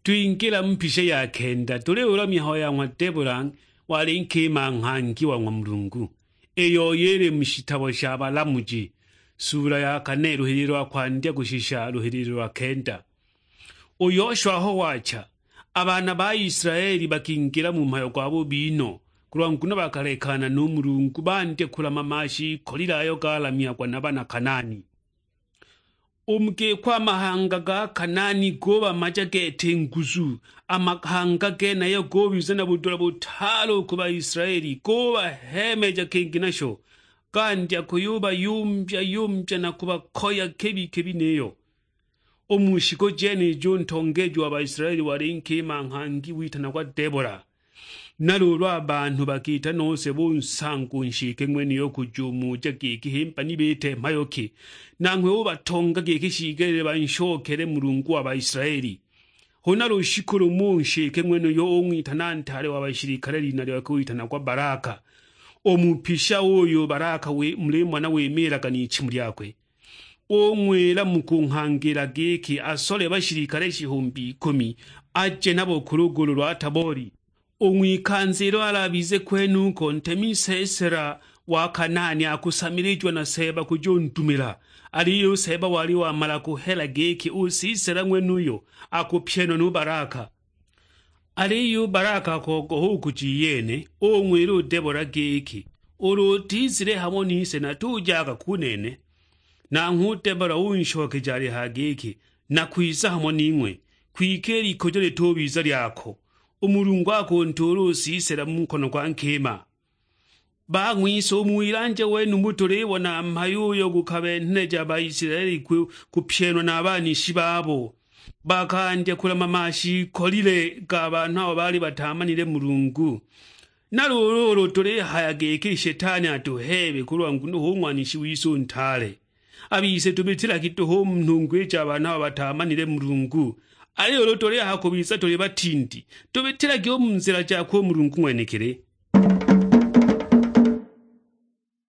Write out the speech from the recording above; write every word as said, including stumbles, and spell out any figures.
Twingila mu mpisha ya kenda, tuliulwa mihayo ya ng'wa Debola, wali nkima nghangi wa ng'wa Mulungu, iyo yili mu shitabo sha Balamuji, sula ya kane, luhililo lwa kwandya kushisha luhililo lwa kenda. U Yoshua aho wacha, a baana ba Isilaeli bakingila mu mhayo gwa bubi no, kulwa nguno bakalekana nu Mulungu, bandya kulamama shiikolile ayo galamyagwa na bana Kanaani. U mu giko a mahanga ga Kanaani gubamaja gete nguzu, a mahanga genayo gubiza na budula butaale u ku Baisilaeli, gubaheemeja kingi nasho, gandya kuyubayumbya-yumbya na kubakoya kibi-kibi niyo. U mu shiku jenijo u ntongeeji wa Baisilaeli wali nkima nghangi witanagwa Debola. Na luulu a banhu bakiita nose bunsanga u nshike ng'wenuyo kujumuja giki himba ni biite mhayo ki, nanghwe ubatonga giki shiigelile banshokele Mulungu wa Baisilaeli. Huna lushiku lumo u nshike ng'wenuyo ung'witana ntaale wa bashilikale, lina lyakwe witanagwa Balaka. U mupisha uyu Balaka mulimona wimiilaga n'ichimu lyakwe. Ung'wila mu kung'hangila giki asole bashilikale shihumbi ikumi, aje nabo ku lugulu lwa Taboli. U ng'wikanza ilo alabize kwenuko, ntemi Sisera wa Kanaani akusamilijiwa na Seeba kujundumila, aliyo u Seeba wali wamala kuhela giki u Sisera ng'wenuyo akupyenwa nu Balaka. Aliyo u Balaka akogoha u kuja iyene, ung'wila u Debola giki, "Ulu utizile hamo nise natujaga ku nene." Nanghwe u Debola unshokeja alihaya giki, "Nakwiza hamo ning'we, kwike i likujo litubiza lyako. U Mulungu akuntuula u Sisera mu nkono gwa nkima." Bang'wise, u mu wilanja wenumu tulibona mhayo uyo gukabenheleja Baisilaeli ku-, kupyenwa na banishi babo. Bakandya kulamama shiikolile ga banhu abo baali bataamanile Mulungu. Na luulu ulu tulihaya giki Shetani atuheebe kulwa nguno hu ng'wanishi wise u ntaale, a bise tubitilagi duhu u mu nhungwa i ja banhu abo bataamanile Mulungu. Aliyo ulu tulihaya kubiza tuli batindi, tubitilagi u mu nzila jakwe u Mulungu ng'wenekili.